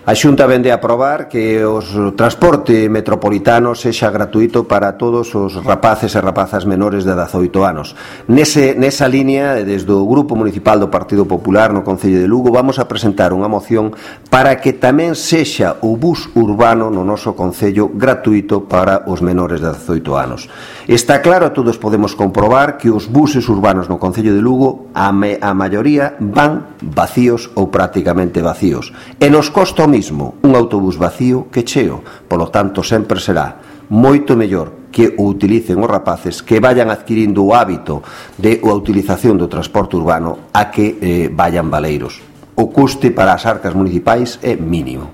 A Xunta vende a aprobar que o transporte metropolitano sexa gratuito para todos os rapaces e rapazas menores de 18 anos. Nesa línea, desde o Grupo Municipal do Partido Popular no Concello de Lugo, vamos a presentar unha moción para que tamén sexa o bus urbano no noso Concello gratuito para os menores de 18 anos. Está claro, todos podemos comprobar que os buses urbanos no Concello de Lugo, a maioría van vacíos ou prácticamente vacíos. E nos costa mismo un autobús vacío que cheo, polo tanto sempre será moito mellor que o utilicen os rapaces, que vayan adquirindo o hábito de a utilización do transporte urbano a que vayan baleiros. O custe para as arcas municipais é mínimo.